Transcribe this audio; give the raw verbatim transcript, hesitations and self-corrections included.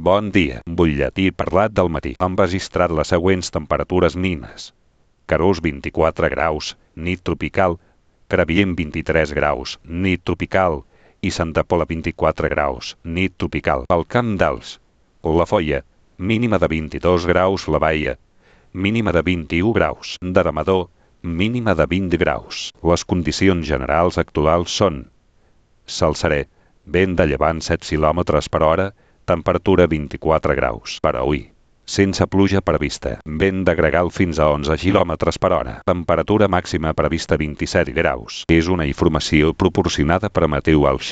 Bon dia. Butlletí parlat del matí. Han registrat les següents temperatures mínimes. Carús vint-i-quatre graus, nit tropical. Crevillent vint-i-tres graus, nit tropical. I Santa Pola vint-i-quatre graus, nit tropical. Al Camp d'Als, La Foia, mínima de vint-i-dos graus. La Baia, mínima de vint-i-u graus. D'Aramador, mínima de vint graus. Les condicions generals actuals són: cel serè, vent de llevant set quilòmetres per hora, temperatura vint-i-quatre graus. Per avui, sense pluja prevista, vent de gregal fins a onze quilòmetres per hora, temperatura màxima prevista vint-i-set graus. És una informació proporcionada per Meteo Alx.